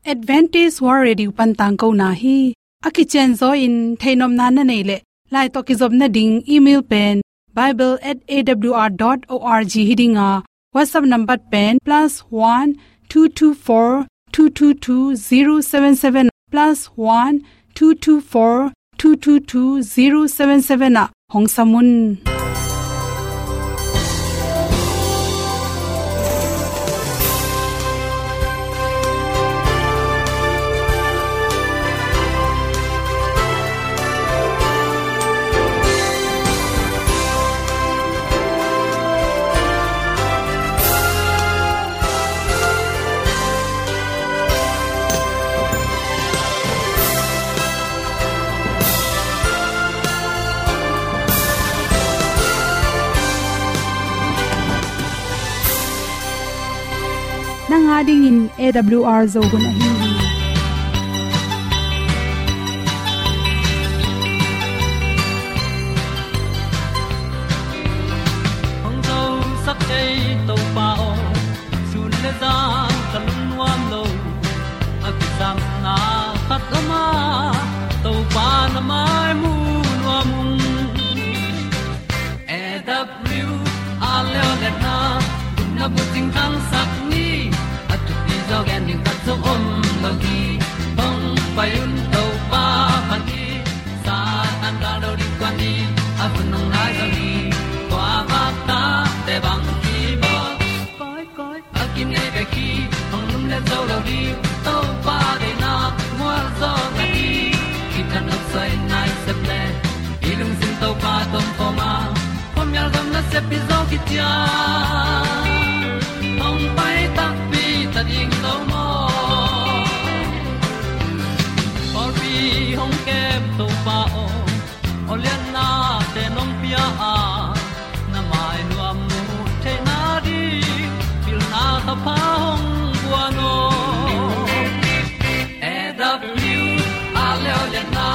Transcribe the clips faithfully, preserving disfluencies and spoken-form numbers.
Adventist World Radio pan tangkona hi. A kicianzaw in theihnopna na neih leh, lai tawh kizopna ding email pen bible at A W R dot org hi ding a, WhatsApp number pen plus one two two four two two two zero seven seven, plus one two two four two two two zero seven seven ah hong sam un. Nang a dingin A W R Zo hun ahi hi. Hong zosak ei Topa aw, sun le zan ka lungnuam lo. A kisapna khat om a, Topa na mai mu nuam ung. A W R leo le na, gupna bucing thangsak ni, a thupi zaw gen ding khat zong om lo hi. Hong pai un Topa phat ni, Satan gal do ding kuan ni, a hun hong nai zaw ni, kua vak tate bang kibawl. Koi, koi, a kinei bek hi, hong lum le zo lo ding, Topa deihna mual zaw na hi. Kitang nop soi nai sep le, i lungsim Topa tawh om khawm a, khuamial gam nasep hi zaw kician. Hong pai takpi ta ding lo maw? Pawlpi hong kem Topa aw, awliatnate nong pia a, na mai nuam mu theihna ding, pilna thapha hong guan aw. A W R leo le na,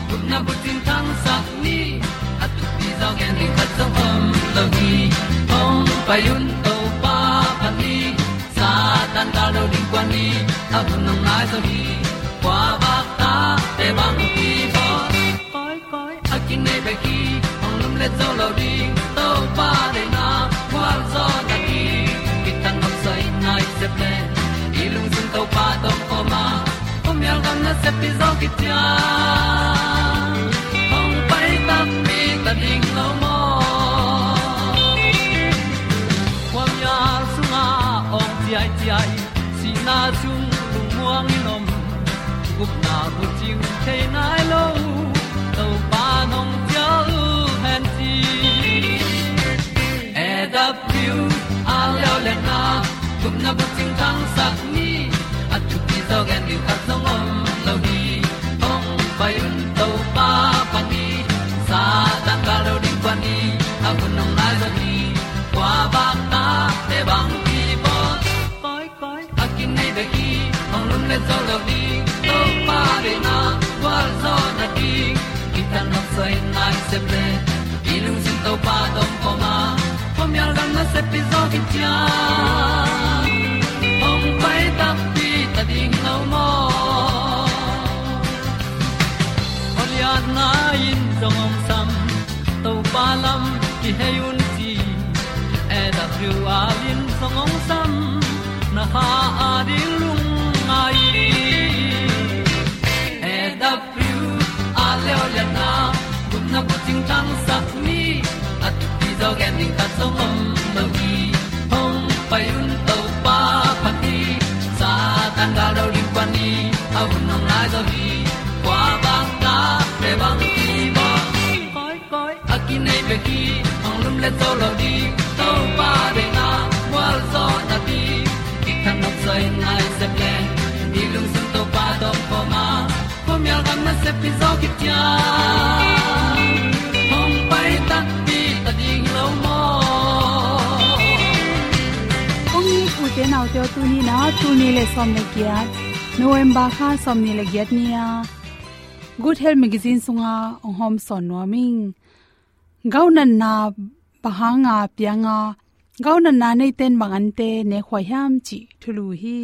gupna bucing thangsak ni, a thupi zaw gen ding khat zong om lo hi. Hong pai un Topa phat ni, Satan gal do ding kuan ni, a hun hong nai zaw hi. Kua vak tate bang kibawl. Koi, koi, a kinei bek hi, hong lum le zo lo ding, Topa deihna mual zaw na hi. Kitang nop soi nai sep le, i lungsim Topa tawh om khawm a, khuamial gam nasep hi zaw kician. Hong pai takpi ta ding lo maw? Khuamial sungah awng ciaiciai, sihna sung lungmuang in om, gupna bucing thei nai lo, Topa nong cial hen ci. A W R leo le na, gupna bucing thangsak ni, a thupi zaw gen ding khat zong om lo hi. Hong pai un Topa phat ni, Satan gal do ding kuan ni, a hun hong nai zaw hi. Kua vak tate bang kibawl. Koi, koi, a kinei bek hi, hong lum le zo lo ding, Topa deihna gualzawhna ding. Kitang nop soi nai sep le, i lungsim Topa tawh om khawm a, khuamial gam nasep hi zaw kician. Hong pai takpi ta ding lo maw? Awliatna in zong hong sam, Topa lam kihei un ci. A W R in zong hong sam, na kha a ding lungngai. A W R le awliatna, gupna bucing thangsak ni, a thupi zaw gen ding khat zong om lo hi. Hong pai un Topa phat ni, Satan gal do ding kuan ni, a hun hong nai zaw hi. Kua bang tate bang kibawl. Koi, koi, a kinei bek hi, hong lum le zo lo ding, Topa deihna gualzawhna ding. Kitang nop soi nai sep le, i lungsim Topa tawh om khawm a, khuamial gam nasep hi zaw kician. Hong pai takpi ta ding lo maw? Kong it ute naute aw, tuni in ah tul nih le sawm le giat, November kha sawmnih le giat ni-a Good Health Magazine sungah hong hawmsawn nuam ing. Gau natna bang hanga piang a, gau natna neite in bang ante ne khuai hiam cih thulu hi.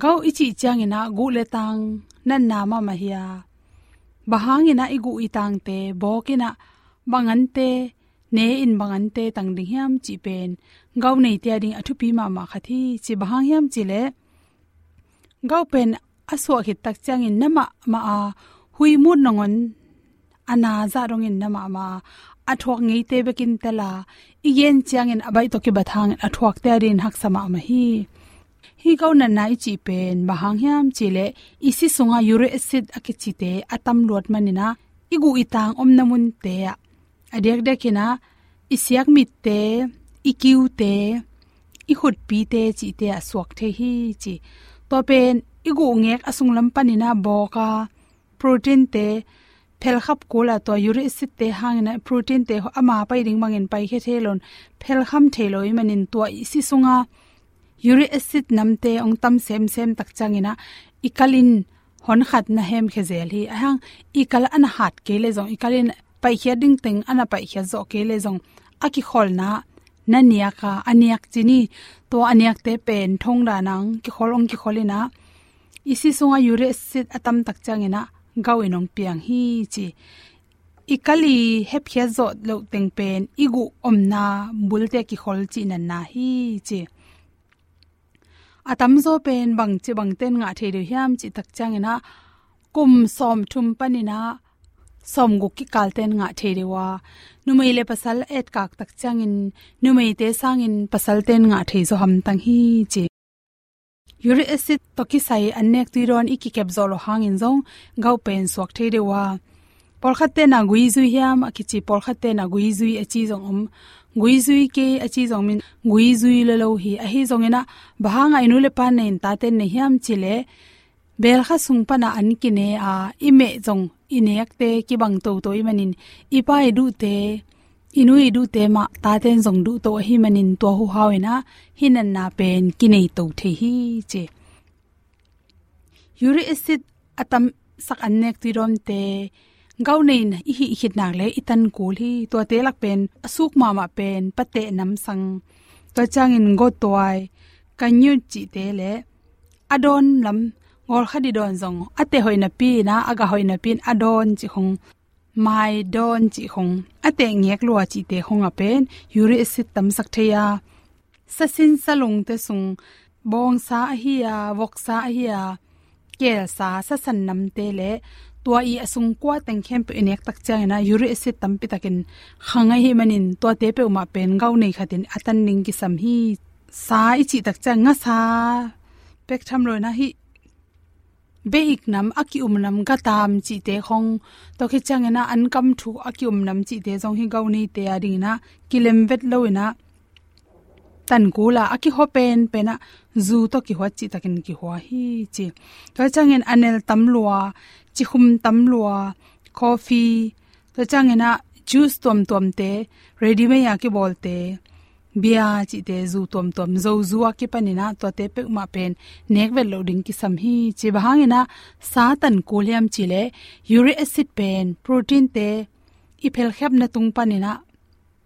Gout i cih ciangin ah guh le tang natna mahmah hi a, bang hangin ah i guh i tangte bawk in ah bang ante, ne in bang ante tang ding hiam cih pen gout neite a ding a thupi mahmah khat hi ci. Bang hang hiam cih leh gout pen a suah khit tak ciangin na mahmah a, huih mut nangawn a na zah dongin na mahmah a, a thuak ngeite bekin tel a, i gen ciangin a baih tawh kibat hangin a thuakte a dingin haksa mahmah hi. Hih gout natna i cih pen bang hang hiam cih leh i si sungah uric acid a kicite a tam luat manin ah i guh i tang omna munte ah, a diakdiakin ah i siakmitte, i kiute, i khutpite cihte ah suak thei hi ci. Tua pen i guh ngek a sunglam panin ah bawk a, proteinte phelkhap kul a, tua uric acidte hangin ah proteinte ama pai ding bangin paikhia thei loin phelkham thei lo ahih manin tua i si sunga uric acid namte hong tam semsem tak ciangin ah i kal in honkhat na hemkhia zel hi. Ahih hang i kal a na hat kei leh zong, i kal in paikhiat ding teng a na paikhiat zawh kei leh zong, a kikholna na niak a, a niak ci ni, tua a niakte pen thong dan ah hong kikhol, hong kikhol in ah i si sungah uric acid a tam tak ciangin ah gout in hong piang hi ci. I kal i hepkhiat zawh loh teng pen i guh omna bulte a kikhol cih natna hi ci. A tamzaw pen bangci bangten ngah thei deuh hiam cih tak ciangin ah kum sawmthum panin ah sawmguk kikalten ngah thei deuh a, numei le pasal etkak tak ciangin numeite sangin pasalten ngah thei zaw hamtang hi ci. Uric acid tawh kisai annek tui dawn i kikep zawh loh hangin zong gout pen suak thei deuh a, pawlkhatte na guizui hiam a kici, pawlkhatte na guizui a ci zong om, guizui kei a ci zong om in, guizui lolo hi. Ahi zongin ah bang hangah i nu le pa nei in taten nei hiam cih leh belkha sung pan ah an kine a, i meh zong i nekte kibang toto ahih manin i pa i duhte, i nu i duhte mah taten zong duhto ahih manin tua huhau in ah hih natna pen kinei to thei hi ci. Uric acid a tamsak annek tui dawnte gout nei in i hih khit nak leh i tan kul hi. Tuate lak pen a suk mahmah pen pateh namsang, tua ciangin gawtuai, kangyut cihte le a dawn lam, gawlkhat i dawn zong a teh hoih napi in ah, a gah hoih napi in a dawn cih khong, mai dawn cih khong, a teh ngek lua cihte khong ah pen uric acid tamsak thei a, sasin salungte sung, bawngsa ahi a, voksa ahi a, kelsa, sasan namte le tua i a sung kua teng khempeuh i nek tak ciangin ah uric acid tampi takin khang ahih manin tuate peuhmah pen gout nei khatin a tan ding kisam hi. Sa i cih tak ciang ngasa pek tham lo in ah hih beik nam, a ki-um nam, gatam cihte khong, tua khit ciangin ah ankam thuk a ki-um nam cihte zong hih gout neite a dingin ah kilem vet lo in ah tan kul a, a kihua penpen ah zu tawh kihuat cih takin kihua hi ci. Tua ciangin a nel tam lua, cikhum tam lua, coffee, tua ciangin ah juice tuamtuamte, ready-made a kibawlte, bia cihte, zu tuamtuam, zozu a kipanin ah tuate peuhmah pen nek vet loh ding kisam hi ci. Bang hangin ah sa tan kul hiam cih leh uric acid pen proteinte i phelkhiatna tung panin ah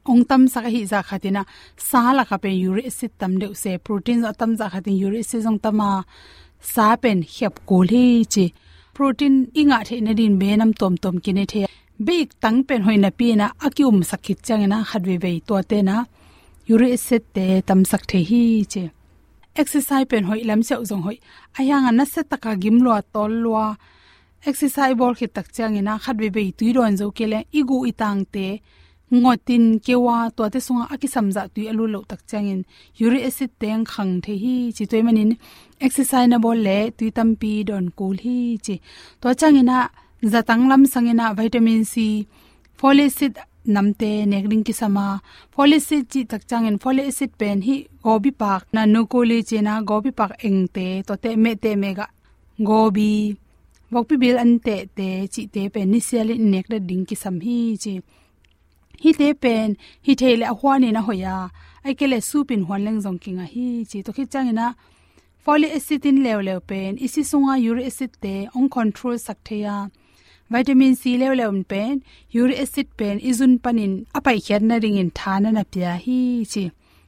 hong tamsak ahih zah khatin ah sa lakah pen uric acid tam deuh se, protein zong a tam zah khatin uric acid zong tam a, sa pen khiap kul hi ci. Protein i ngah theih nadingin benam tuamtuam kinei thei a, beik tang pen hoih napi in ah a ki-umsak khit ciangin ah khat veivei tuate in ah uric acidte tamsak thei hi ci. Exercise pen hoih, lamsiau zong hoih, ahih hangin nasia taka gim lua, tawl lua, exercise bawl khit tak ciangin ah khat veivei tui dawn zo kei leh i guh i tangte ngawtin keu a, tuate sungah a kisam zah tui a lut loh tak ciangin uric acidte hong khang thei hi ci. Tua ahih manin exercise na bawl leh tui tampi dawn kul hi ci. Tua ciangin ah zatang lam sangin ah vitamin C, folic acid namte nek ding kisam a, folic acid cih tak ciangin folic acid pen hih gawbipak, na nuku li cih na gawbipak engte, tuate mehteh mehgah, gawbi, vokpi bil an tehte cihte pen nisialin i nek det ding kisam hi ci. Hihte pen hih theih leh a huanin a hoih a, ahih kei leh supin huan leng zong kingah hi ci. Tua khit ciangin ah folic acid in leuleu pen i si sunga uric acidte hong control sak thei a, vitamin C leuleu in pen uric acid pen i zun panin a paikhiat nadingin tha na na pia hi ci.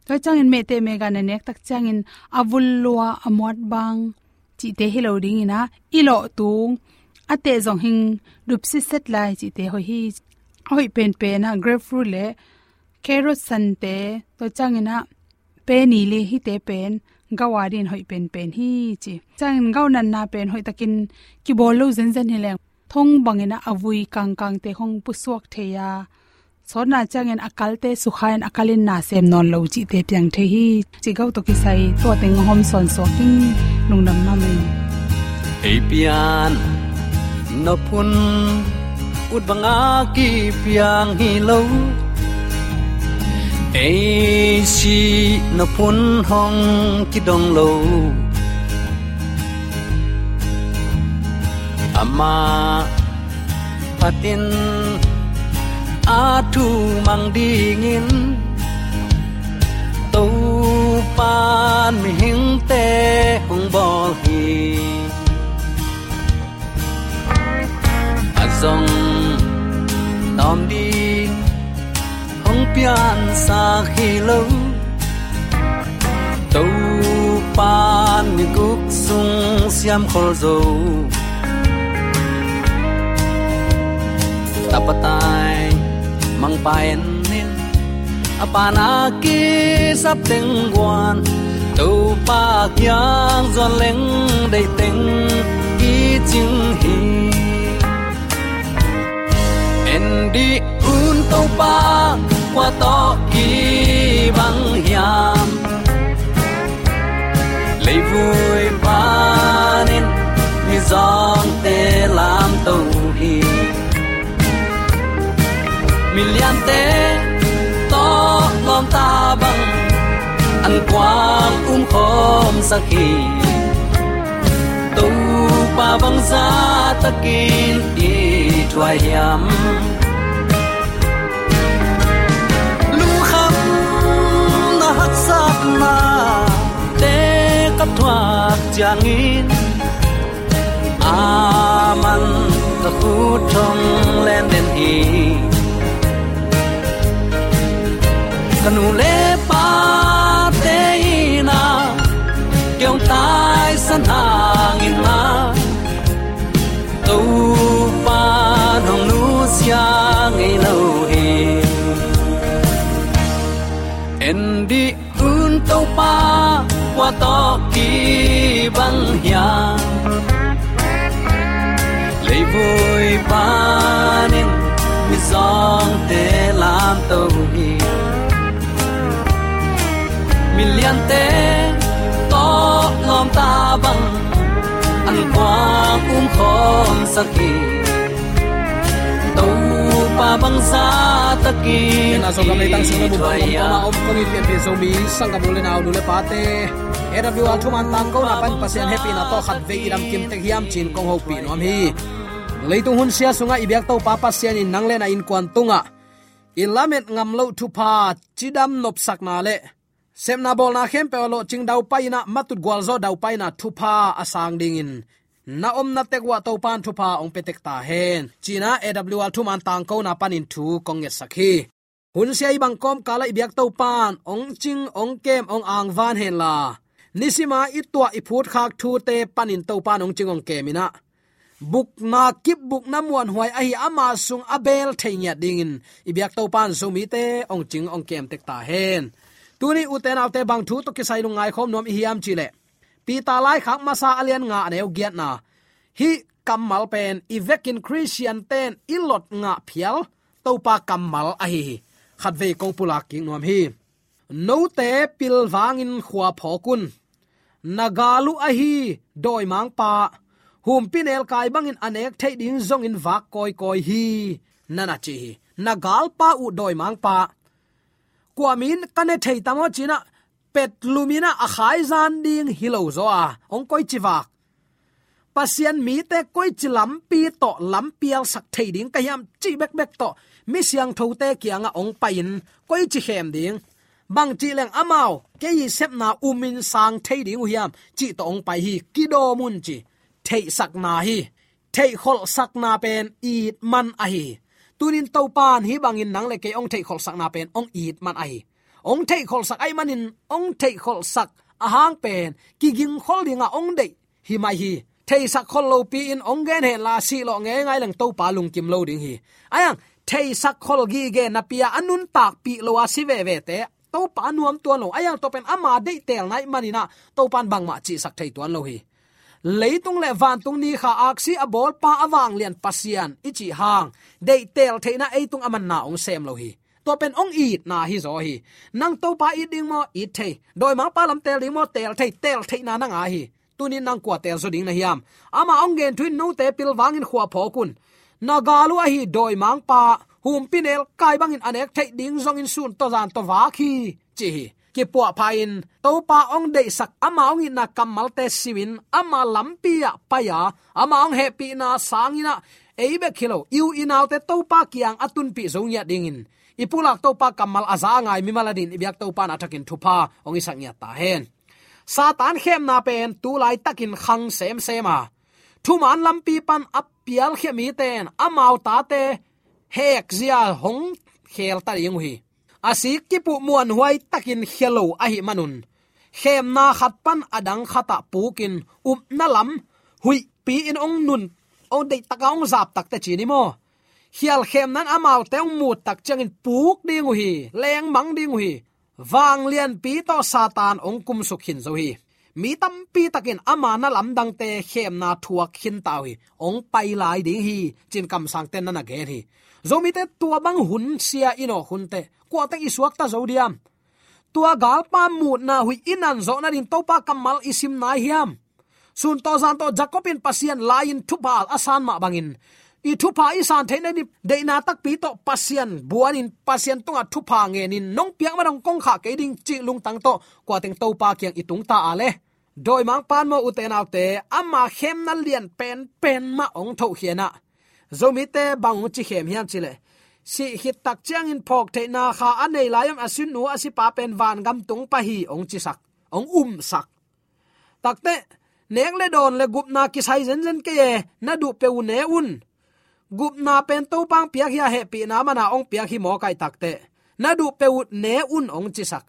Tua ciangin mehteh mehgah na nek tak ciangin a vul lua, a muat bang cihte hi lo dingin ah, i lawh tung, a teh zong hing dup sitset lai cihte hoih hi. A hoih penpen ah grapefruit le carrot sante, tua ciangin ah penny le hihte pen gau a dingin hoih penpen hi ci. Ciangin gau natna pen hoihtakin kibawl lo zenzen hi leng, thong bangin ah a vui kangkangte hong pusuak thei a, sawtna ciangin a kalte sukha in a kal in na sem nawn lo cihte piang thei hi. Ci gau tawh kisai tua teng hong hawm sawnsuak in, lungdam mahmah ing. Ei pian nop hun ut banga kipiang hi lo, ei sih nop hun hong kidong lo. Amah phatin a thu mang dingin Topan mihingte hong bawl hi. A zong tawm ding hong piansak hi lo. Topan miguk sung siamkhol zo. Tapa tai mangpa en in, a pana kisap teng guan, Topa kiang zuan leng deih teng i cing hi. En dih un Topa, kua tawh kibang hiam? Leivui panin mizawngte lamto hi. Miliante tawh lawmta bang an kuang umkhawmsak hi. Topa bangzah takin i thuai hiam? Lungkham na haksatna te ka thuak ciangin, aman ka khut thong len den hi. Ka nu le pate in ah kei hong taisan hangin ah, Topa hong nusia ngei lo hi. En dih un Topa, kua tawh kibang hiam? Leivui panin mizawngte lamto hi. Miliante tawh lawmta bang an kuang umkhawmsak hi. Topa bangzah takin. Ken a Zogam leitang sung na mun pang om kong a om kong it pianpih Zomi sanggam u le nau, nu le pate, A W R thuman tangkona pan Pasian hehpihna tawh khatvei i damkim tek hiam ci-in kong hopih nuam hi. Leitung hunsia sungah i biak Topa Pasian in nang le na innkuan tungah i lamet ngam loh thupha, cidam nopsakna le sepna bawlna khempeuh ah lawhcing daupai in ah, matut gualzawh daupai in ah thupha a sang dingin na omna tek uah Topa in thupha hong pia tek ta hen, ci-in ah A W R thuman tangkona panin thu kong ngetsak hi. Hunsia i bang kawmkal ah i biak Topa in hong cing, hong kem, hong angvan henla, nisima i tuah i phutkhak thute panin Topa in hong cing hong kem in ah, bukna kip, bukna muanhuai ahi ama sung a beel thei ngiat dingin i biak Topa in Zomite hong cing hong kem tek ta hen. Tuni ute naute, bang thu tawh kisai lungngai khawm nuam i hiam cih leh, Peter laikhak masa a lian nga a neu giatna, hih kammal pen i vekin Khristiante in i lot ngah phial Topa kammal ahi hi. Khatvei kong pulak kik nuam hi. Note pilvangin khua phawk un. Na gal uh ahi dawimangpa, humpinelkai bangin a nek theih ding zongin vak kawikawi hi, na na ci hi. Na galpa uh dawimangpa, kua mi in ka ne thei tam aw ci-in ah, petlum in ah a khaizan ding hi lo zaw a, hong koici vak? Pasian mite koici lampi tawh lampialsak thei ding ka hiam cih bekbek tawh mi siangthote kiangah hong pai-in koici khem ding? Bangcih leng amau kei i sepna umin sang thei ding uh hiam cih tawh hong pai hi. Kidawm un ci. Theihsakna hi. Theihkholhsakna pen it man ahi hi. Tunin Topa in hih bangin nang le kei hong theihkholhsakna pen hong it man ahi hi. Hong theihkholhsak ahih manin hong theihkholhsak ahang pen kigingkhol dingah hong deih hi mai hi. Theisak khol lopi in hong gen henla, sih lawh ngeingai leng Topa lungkim lo ding hi. Ahi hang theisak khol gige napi-a a nuntakpih lo a si vevete Topa a nuam tuan lo. Ahi hang tua pen ama deihtelna ahih manin ah Topa in bangmah cihsak thei tuan lo hi. Leitung le vantung ni kha aksi a bawlpa a vanglian Pasian i cih hang, deihtel theihna ei tungah a manna hong sem lo hi. Tua pen hong itna hi zaw hi. Nang Topa it ding maw? It thei. Dawimangpa lam teel ding maw? Teel thei. Teel theihna na ngah hi. Tunin nang kua teel zaw ding na hiam? Amah hong gen thu in note pilvangin khua phawk un. Na gal uh ahi dawimangpa, humpinelkai bangin a nek theih ding zongin sun tawh zan tawh vak hi, ci hi. Kipuahpha in Topa hong deihsak, ama hong itna kammalte simin ama lampi-ah pai-a, ama hong hehpihna sangin ah ei bek hi lo, i u i naute Topa kiang a tunpih zo ngiat dingin, i pulak Topa kammal a za a ngai mimal adingin i biak Topa in a thakin thupha hong hisak ngiat ta hen. Satan khemna pen tu laitakin khang semsem a, thuman lampi pan a pialkhia mite in amau tate hekzia hong khel ta ding uh hi. A sik kipuh muanhuai takin khia lo ahih manun, khemna khat pan a dang khatah pukin upna lam huihpi-in hong nun, hong deihtak a hong zap tak teh ci ni maw? Khial khemna in amaute hong mut tak ciangin puk ding uh hi, lengmang ding uh hi. Vanglianpi tawh Satan hong kumsuk khin zo hi. Mi tampi takin ama na lamdangte khemna thuak khin ta uh hi. Hong pai lai ding hi, ci-in kamsangte in na na gen hi. Zomite, tua bang hun sia i nawk hun teh kua teng i suakta zo diam? Tua galpa mutna huih i nan zawh nading Topa kammal i sim nai hiam? Sun tawh zan tawh Jacob in Pasian lai-in thupha a san mah bangin, i thupha i san theih nading deihna takpi tawh Pasian buanin, Pasian tungah thupha ngenin, nong piak mah dong kong khah kei ding cih lungtang tawh kua teng Topa kiang i tung ta a leh, dawimangpa in maw, ute naute, ama khemna lian penpen mah hong thohkhian ah, Zomite bang hong ci khem hiam cih leh, sih khit tak ciangin phawk theihna kha a nei lai-in a sinu a sipa pen vangam tung pah hi hong cisak, hong umsak. Tak teh, nek le dawn le gupna kisai zenzen kei e, na duh peuh uh ne un. Gupna pen Topa hong piak hi a, hehpihna man a hong piak hi mawk ahih tak teh, na duh peuh uh ne un hong cisak.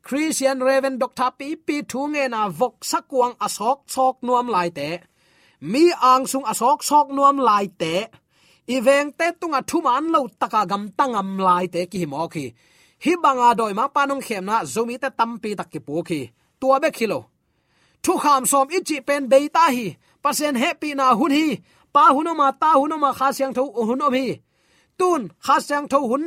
Christian Reverend Doctor pipi thu ngen a, voksa kuang a sawksawk nuam laite, mi angsung a sawksawk nuam laite, i vengte tungah thuman lo taka gamta ngam laite kihi mawk hi. Hih banga dawimangpa in hong khemna Zomite tampi tak kipuk hi. Tua bek hi lo, thukham sawm i cih pen bei ta hi. Pasian hehpihna hun hi. Pa hun om a, Ta hun om a, Kha Siangtho hun om hi. Tun Kha Siangtho hun,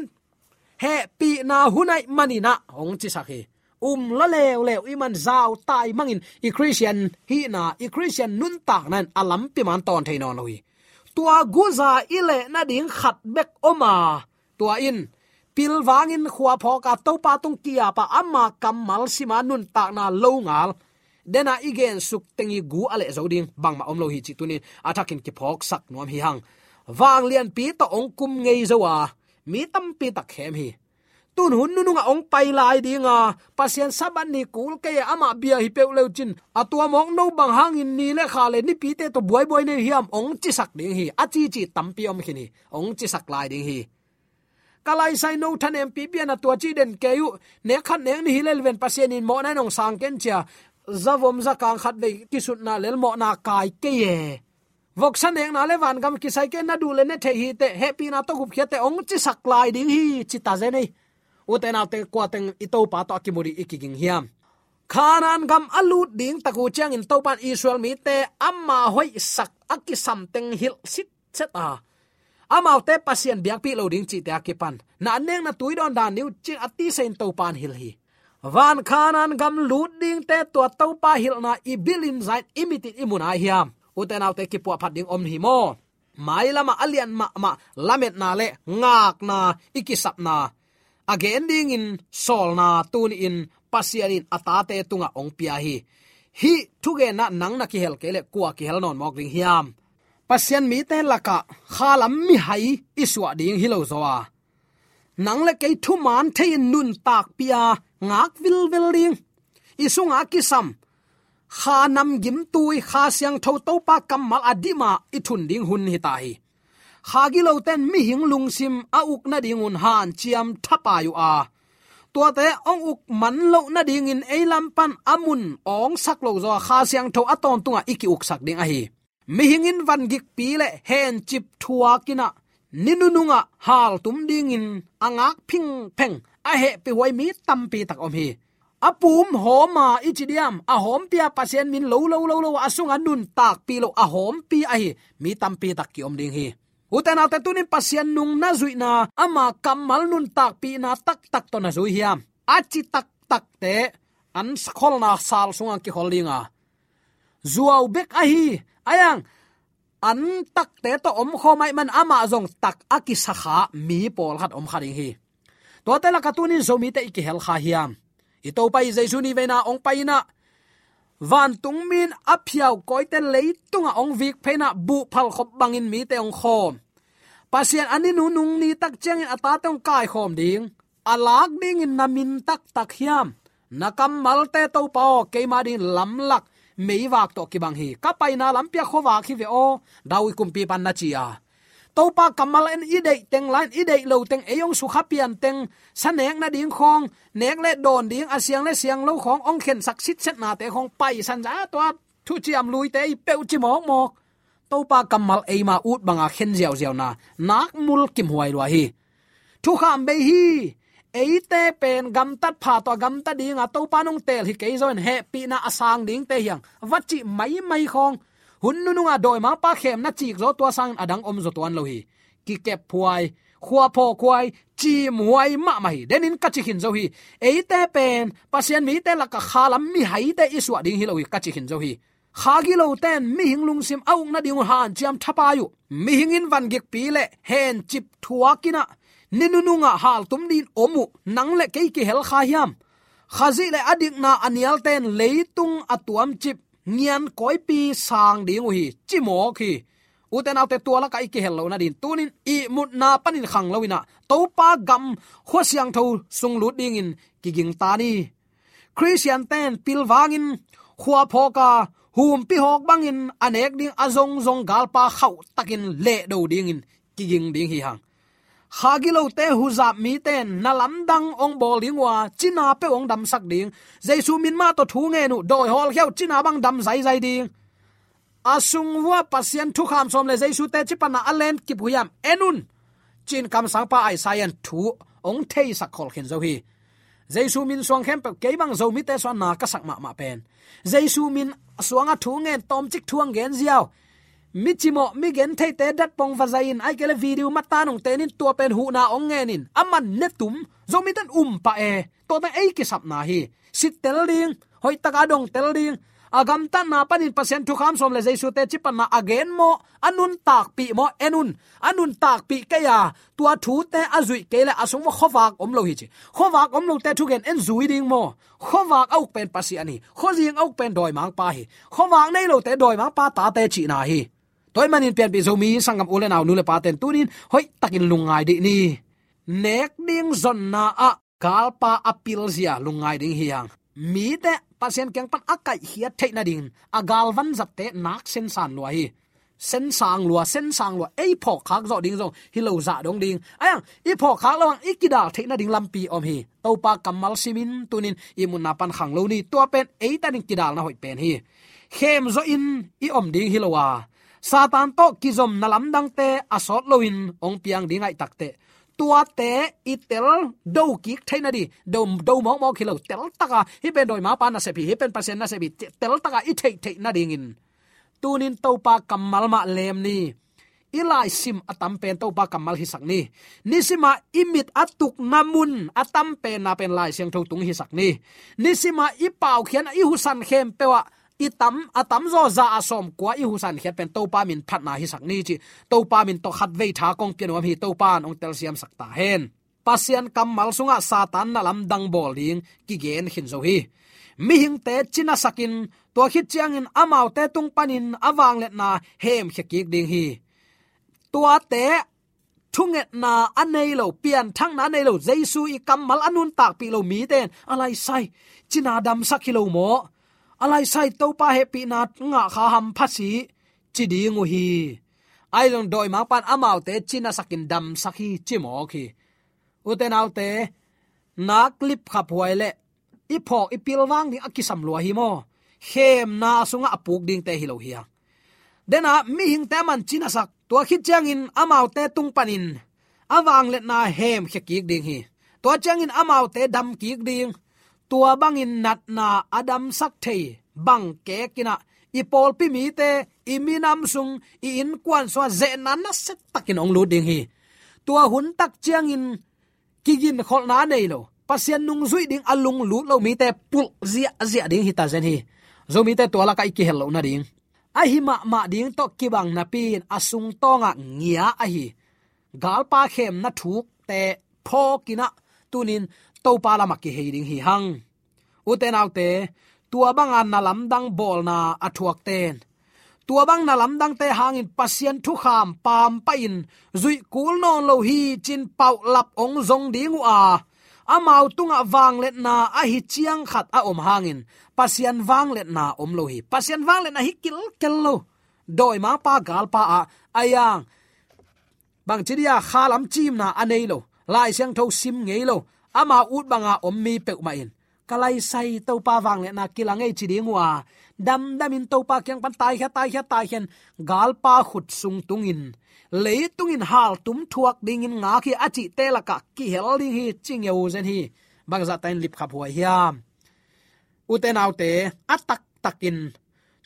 hehpihna hun ahih manin ah hong cisak hi. Um la leuleu i man, zau tai mangin i Christian hihna, i Christian nuntakna in a lampi man tawn thei nawn lo hi. Tua guza i leh nading khat bek om a, tua in pilvangin khua phawk a, Topa tung ki-ap a, ama kammal sim a, nuntakna lo ngal, den a i gensuk teng i gu a leh zo ding bangmah om lo hi cih tunin a thakin kiphawksak nuam hi hang. Vanglianpi tawh hong kum ngei zo a, mi tampi tak khem hi. Tun hun nunung ah hong pai lai ding a, Pasian Sabbath ni kul kei a, amah bia hi peuh le uh cin, a tua mawk no bang hangin ni le kha le nipite tawh buaibuai nei hiam hong cisak ding hi. A cici tampi om khin hi. Hong cisak lai ding hi. Ka laisai no thanem pipi a, na tua ci den kei uh, nek khat nek nih hi lel ven, Pasian in mawhna in hong sang ken ci a, zavom zakang khat vei kisutna lel mawhna kai kei e. Voksa nekna le vangam kisai kei, na duh le ne thei hi teh, hehpihna tawh gupkhia teh hong cisak lai ding hi, ci ta zen ei. Ute naute, kua teng i Topa tawh a kimu ding i kiging hiam? Kanaan gam a lut ding tak uh ciangin Topa in Israel mite ama hoihsak a kisam teng hilh sitset a, amaute Pasian biakpih lo ding cihte a kipan, na an nekna tui dawn dan ni uh, ci-in a tisa in Topa in hilh hi. Van Kanaan gam lut dingte tua Topa hilhna i bil in, za in, i mit in i mu nai hiam? Ute naute, kipuahphat ding om hi maw? Mailamah a lian mahmah lametna le ngakna i kisapna a gen dingin sawlna tuni-in Pasian in a tate tungah hong pia hi. Hih thugenna nang na kihel kei leh kua kihel nawn mawk ding hiam? Pasian mite lakah khalam mihai i suah ding hi lo zaw a, nang le kei thuman thei-in nuntakpih a, ngak vilvel ding, i sungah kisam Kha namgimtui, Kha Siangtho Topa kammal a dim a i thun ding hun hi ta hi. Kha gilote in mihing lungsim a uk nadingun hanciam thapai uh a, Tuate hong uk man loh nadingin ei lam pan a mun awngsak lo zaw a Kha Siangtho a tawntungah i ki-uksak ding ahi. Mihing in vangikpi le hencip thuak in ah ni nunungah haltum dingin a ngak phingpheng a hehpih huai mi tampi tak om hi. A pum hawm a i ci diam, a hawmpi a Pasian min lo lo lo lo a sungah nuntakpih lo a hawmpi ahi mi tampi tak ki-om ding hi. Ute naute, tunin Pasian nung na zuihna, ama kammal nuntakpihna taktak tawh na zui hiam? A ci taktakte an kholna sal sungah kikhol ding a, zuau bek ahi, a iang an takte tawh omkhawm ahih man amah zong tak a kisakha mi pawlkhat om kha ding hi. Tuate lakah tunin Zomite i kihel kha hiam? I Topa i Jesu ni veina hong pai in ah vantung mi in a phiaukawite leitungah hong vik phei in ah buh phalkhop bangin mite hong khawm. Pasian a ni nunung ni tak ciangin a tate hong kaikhawm ding, a lak dingin na min taktak hiam? Na kammalte Topa aw, keima dingin lamlak meivak tawh kibang hi. Ka paina lampi ah khuavak hi ve aw, David kumpipa in na ci a. Topa kammal in i deih teng la-in i deih lo teng, ei hong sukha pian teng, sa nek nading khawng, nek le dawn ding, a siang le siang lo khawng hong khensak sitsetnate khawng paisan za tua thuciam luite i peuh ci mawkmawk. Topa kammal eima ut banga khen ziauziauna nakmul kimhuai lua hi. Thukham bei hi. Eite pen gamtat pha tawh a gamta dinga Topa nong teel hi kei zaw in hehpihna a sang dingte hi hang, va cih maimai khawng, hun nununga dawimangpa khemna cik zaw tua sangin a dang om zaw tuan lo hi. Kikep huai, khuaphaw huai, cim huai mahmah hi. Denin ka ci khin zo hi. Eite pen Pasian mite lakah khalam mihaite i suah ding hi lo hi, ka ci khin zo hi. Kha gilote in mihing lungsim a uk nading uh hanciam thapai uh. Mihing in vangikpi le hencip thuak in ah ni nunungah haltum dingin om uh, nang le kei kihel kha hiam? Khazih le a dikna a nialte in leitung a tuamcip ngian kawipi sang ding uh hi, ci mawk hi. Ute naute, tua lakah i kihel loh nadin tunin ihmutna panin khang lo in ah Topa gam khua siangtho sung lut dingin kiging ta ni. Khristiante in pilvangin khuaphawk a, humpi hawk bangin a nek ding a zongzong galpa khauh takin lehdo dingin kiging ding hi hang. Kha gilote huzap mite in na lamdang hong bawl ding uh a, cina peuh hong damsak ding. Jesu min mah tawh thu ngen uh, dawi hawlkhia uh, cina bang dam zaizai ding. A sung vua Pasian thukham sawm le Jesu teci panna a lenkip uh hiam? En un, ci-in kamsangpa Isaiah in thu hong theisak khol khin zo hi. Jesu min suang khempeuh, kei bang Zomite suah na ka sak mahmah pen, Jesu min suangah thu ngen, tawmcik thu hong gen ziau, mi cimawh, mi gentheite datpong va zai in, ahih kei leh video mata nong ten in, tua pen huhna hong ngen in, a man ne tum, Zomite in um pah e. Tuate ei kisapna hi. Sittel ding, hoihtaka dongtel ding. A gamtatna panin Pasian thukham sawm le Jesu teci panna a gen maw, a nuntakpih maw? En un, a nuntakpih kei a, tua thute a zuih kei leh a sung maw khuavak om lo hi ci. Khuavak om lote thugen en zui ding maw? Khuavak a uk pen Pasian hi. Khuazing a uk pen dawimangpa hi. Khuavak nei lote dawimangpa tate cihna hi. Tua ahih manin pianpih Zomi sanggam u le nau, nu le pate in tunin hoihtakin lungngai dih ni. Nek ding zonna ah galpa a pilzia lungngai ding hi hang. Mite Pasian kiang pan a kaihkhiat theih nadingin a galvan zatte nak sensan lua hi. Sensang lua, sensang lua, ei phawkkhak zawh ding zong hi lo zah dong ding. A iang, i phawkkhak lo hang i kidal theih nading lampi om hi. Topa kammal simin tunin ihmutna pan khang lo ni. Tua pen eite ading kidalna hoih pen hi. Khem zawhin i om ding hi lo a, Satan tawh kizomna lamdangte a sawt loin hong piang ding ahih takteh, tuate i tel do kik theih nading, do, do mawkmawk hi lo, teltaka hih pen dawimangpa nasep hi, hih pen Pasian nasep hi, teltaka i theih theih nadingin tunin Topa kammal mah lem ni. I laisim a tam pen Topa kammal hisak ni. Nisima i mit a tukna mun a tam penna pen Lai Siangtho tung hisak ni. Nisima i paukhiatna, i husan khempeuh ah i tam, a tamzaw za ah sawmkua i husankhiat pen Topa min phatna hisak ni ci. Topa min tawh khatvei tha kong pia nuam hi. Topa in hong telsiamsak ta hen. Pasian kammal sungah Satan na lamdang bawl ding kigen khin zo hi. Mihingte cinasakin, tua khit ciangin amaute tung panin a vangliatna hemkhia kik ding hi. Tuate thungetna a nei lo, pianthakna a nei lo, Jesu i kammal a nuntakpih lo mite in a laisai cina damsak hi lo maw? A laisai Topa hehpihna ngah kha hampha si, ci ding uh hi. Ahi zong dawimangpa in amaute cinasakin damsak hi, ci mawk hi. Ute naute, nak lipkhaphuai le i phawk i pilvang ding a kisam lua hi maw? Khemna sungah a puk dingte hi lo hi a. Dena mihingte a man cinasak, tua khit ciangin amaute tung panin a vangliatna hemkhia kik ding hi. Tua ciangin amaute dam kik ding. Tua bangin natna a damsak thei bang kekinah i pawlpi mite, i minam sung, i innkuan sungah zehna nasia takin hong lut ding hi. Tua hun tak ciangin kiginkholhna a nei lo, Pasian nungzuih ding a lunglut lo mite pulh ziahziah ding hi ta zen hi. Zomite tua lakah i kihel loh nading, ahi mahmah ding tawh kibang napi in a sungtawngah ngia ahi galpa khemna thukte phawkinah tunin Topa lamah kihei ding hi hang. Ute naute, tua banga na lamdang bawlna a thuakten, tua bang na lamdangte hangin Pasian thukham pampahin zuih kul nawn lo hi cin paulap hong zong ding uh a, amau tungah vangliatna ahi ciang khat a om hangin Pasian vangliatna om lo hi. Pasian vangliatna hi kilkel lo. Dawimangpa galpa ah a yang bangci dia kha lam cimna a nei lo, Lai Siangtho sim ngei lo, ama ut banga om mi peuhmah in, ka laisai Topa vangliatna kila ngei ci ding uh a, damdamin Topa kiang pan taikhia, taikhia, taikhian, galpa khut sung tungin, leitungin haltum thuak dingin ngak hi a cihte lakah kihel ding hi, ci ngeu zen hi. Bangzahta in lipkhaphuai hiam? Ute naute, a taktakin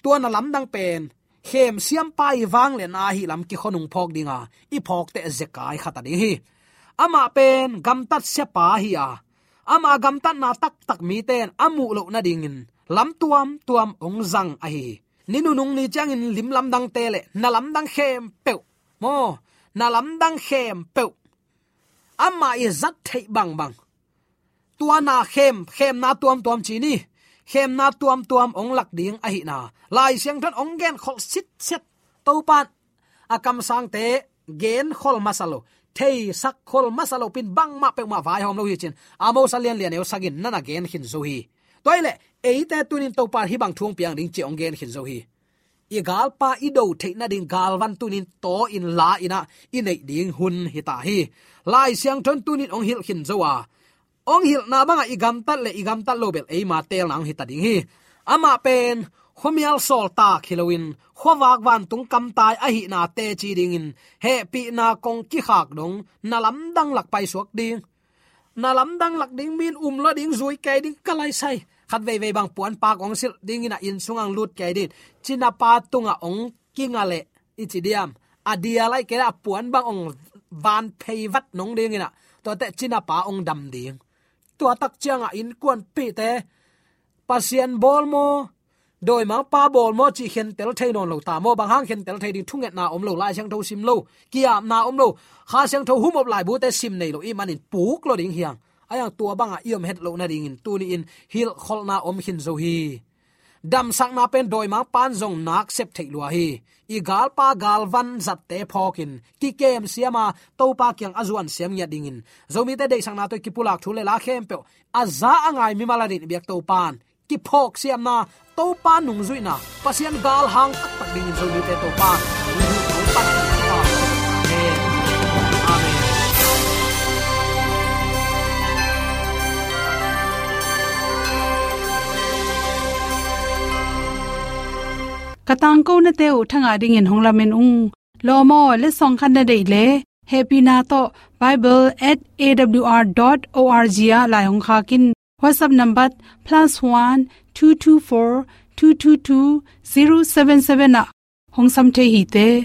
tua na lamdang pen khem siampa i vangliatna ahi lam kikhonung phawk dinga i phawkteh zekai khat a ding hi. Amah pen gamtat siapa hi a, ama gamtatna taktak mite in a muh loh nadingin lam tuamtuam hong zang ahi hi. Ni nunung ni ciangin lim lamdangte le na lamdang khempeuh maw, na lamdang khempeuh amah i zat theih bangbang, tua na khem, khemna tuamtuam ci ni, khemna tuamtuam hong lak ding ahihna Lai Siangtho in hong genkholh sitset. Topa in a kamsangte genkhol masa lo, theisak khol masa lo pin bangmah peuhmah vaihawm lo hi cin Amos a lianlian neu sagih in na na gen khin zo hi. Tua hileh eite tunin Topa in hih bang thu hong piang ding ci hong gen khin zo hi. I galpa i do theih nading galvan tunin taw in la inah i neih ding hun hi ta hi. Lai Siangtho in tunin hong hilh khin zo a, hong hilhna bangah i gamtat le i gamtat lo bel eima teelna hong hi ta ding hi. Amah pen khuamial sawltak hi loin khuavak vantung kamtai ahihna teci dingin hehpihna kong kikhak dong na lamdang lak paisuak ding. Na lamdang lak ding, min um lo ding, zui kei ding, ka laisai. Khat veivei bang puanpak hong silh dingin a inn sungah hong lut kei ding. Cinapa tungah hong kinga leh i ci diam, a dia lai kei leh a puan bang hong van phei vat nong dingin ah, tuate cinapa hong dam ding. Tua tak ciangah innkuanpihte Pasian bawl maw, dawimangpa bawl maw cih khentel thei nawn lo ta maw? Bang hang khentel thei ding? Thungetna om lo, Lai Siangtho sim lo, ki-apna om lo, Kha Siangtho humop laibute sim nei lo, ih manin puk lo ding hi hang. A yang tua bangah i om het loh nadingin tuni-in hilhkholhna om khin zo hi. Damsakna pen dawimangpa in zong nak sep theih lua hi. I galpa galvan zatte phawkin kikem siama Topa kiang a zuan siam ngiat dingin Zomite deihsakna tawh i kipulak thu le la khempeuh a za a ngai mimal a din i biak Topa in kiphawk siamna, Topa nungzuihna, Pasian galhang taktak dingin Zomite Topa in hong hilh, hong panpih. Amen. Amen. Ka tangkonate uh thangah dingin hong lamen ung. Lawm aw, letsong khat na deih leh hehpihna tawh bible at A W R dot O R G ah lai hong khak in. WhatsApp number plus one two two four two two two zero seven seven ah hong sam thei hi te.